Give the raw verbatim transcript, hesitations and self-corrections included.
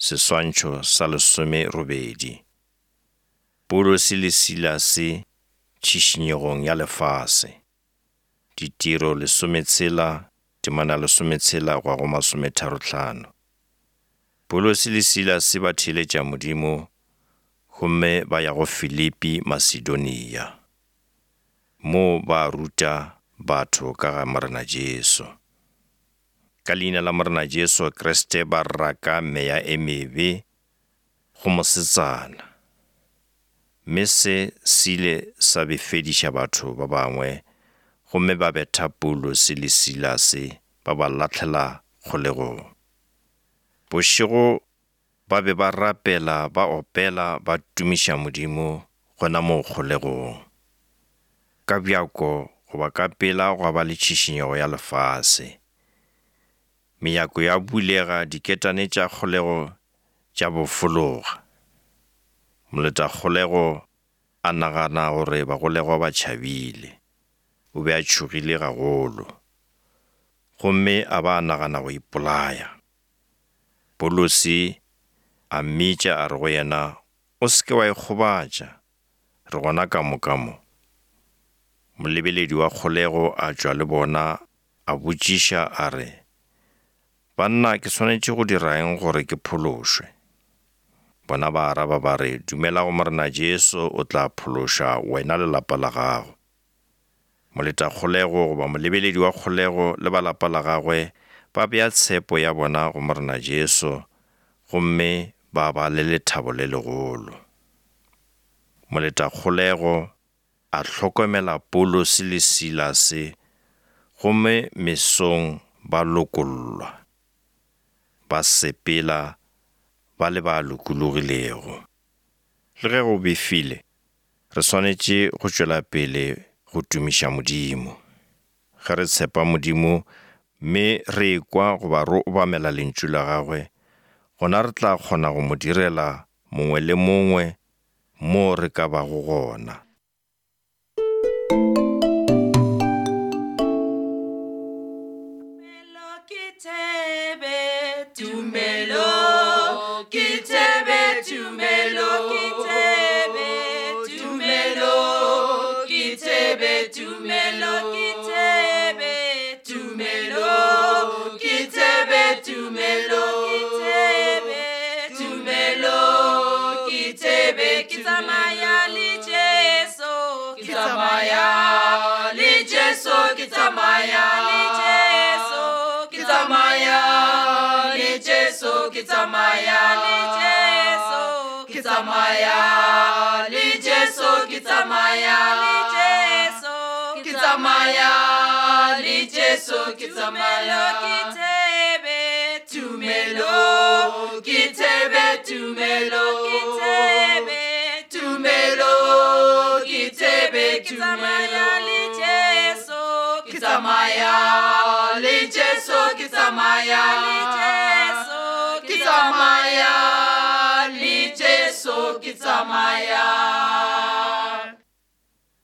Seswantšho sa lesomerobedi. Paulose le Silase tšhišinyegong ya lefase. Ditiro lesometshela, temana lesometshela go ya go masometharohlano. Paulose le Silase ba theeletša Modimo gomme ba ya go Filipi Masedonia. Moo ba ruta batho ka ga Morena Jesu. Ka leina la Morena Jesu Kriste ba raka meya e mebe go mosetsana. Mme se se ile sa befediša batho ba bangwe gomme ba betha Paulose le Silase ba ba lahlela kgolegong. Bošego ba be ba rapela ba opela ba tumiša Modimo gona moo kgolegong. Ka bjako goba ka pela gwa ba le tšhišinyego ya lefase. Mejako ya bulega, diketane tša kgolego tša bofologa. Moletakgolego a nagana gore bagolegwa ba tšhabile. O be a tšhogile gagolo, gomme a ba a nagana go ipolaya. Paulose a mmitša a re go yena, o se ke wa ikgobatša, re gona ka moka mo. Molebeledi wa kgolego a tšwa le bona a botšiša a re, banna, ke swanetše go dira eng gore ke phološwe? Bona ba araba ba re, dumela go Morena Jesu, o tla phološa wena le lapa la gago. Moletakgolego goba molebeledi wa kgolego le ba lapa la gagwe ba bea tshepo ya bona go Morena Jesu gomme ba ba le lethabo le legolo. Moletakgolego a hlokomela Paulose le Silase gomme mesong ba lokollwa, ba sepela ba le ba lokologilego. Le ge go befile, re swanetše go tšwela pele go tumiša Modimo. Ge re tshepa Modimo mme re ekwa goba re obamela lentšu la gagwe, gona re tla kgona go mo direla mongwe le mongwe mo re ka bago gona. Tumelo ke thebe, tumelo ke thebe, tumelo ke thebe, tumelo ke thebe, tumelo ke thebe, tumelo ke thebe, tumelo ke thebe, ke tsamaya le Jesu, ke tsamaya le Jesu, ke tsamaya le Jesu, ke tsamaya le Jesu, ke tsamaya le Jesu, ke tsamaya le Jesu, ke tsamaya le Jesu, ke tsamaya le Jesu, ke tsamaya ke thebe, tumelo ke thebe, tumelo ke thebe, tumelo ke thebe, ke tsamaya le Jesu, ke tsamaya le Jesu, ke tsamaya le Jesu, ke tsamaya le Jesu, ke tsamaya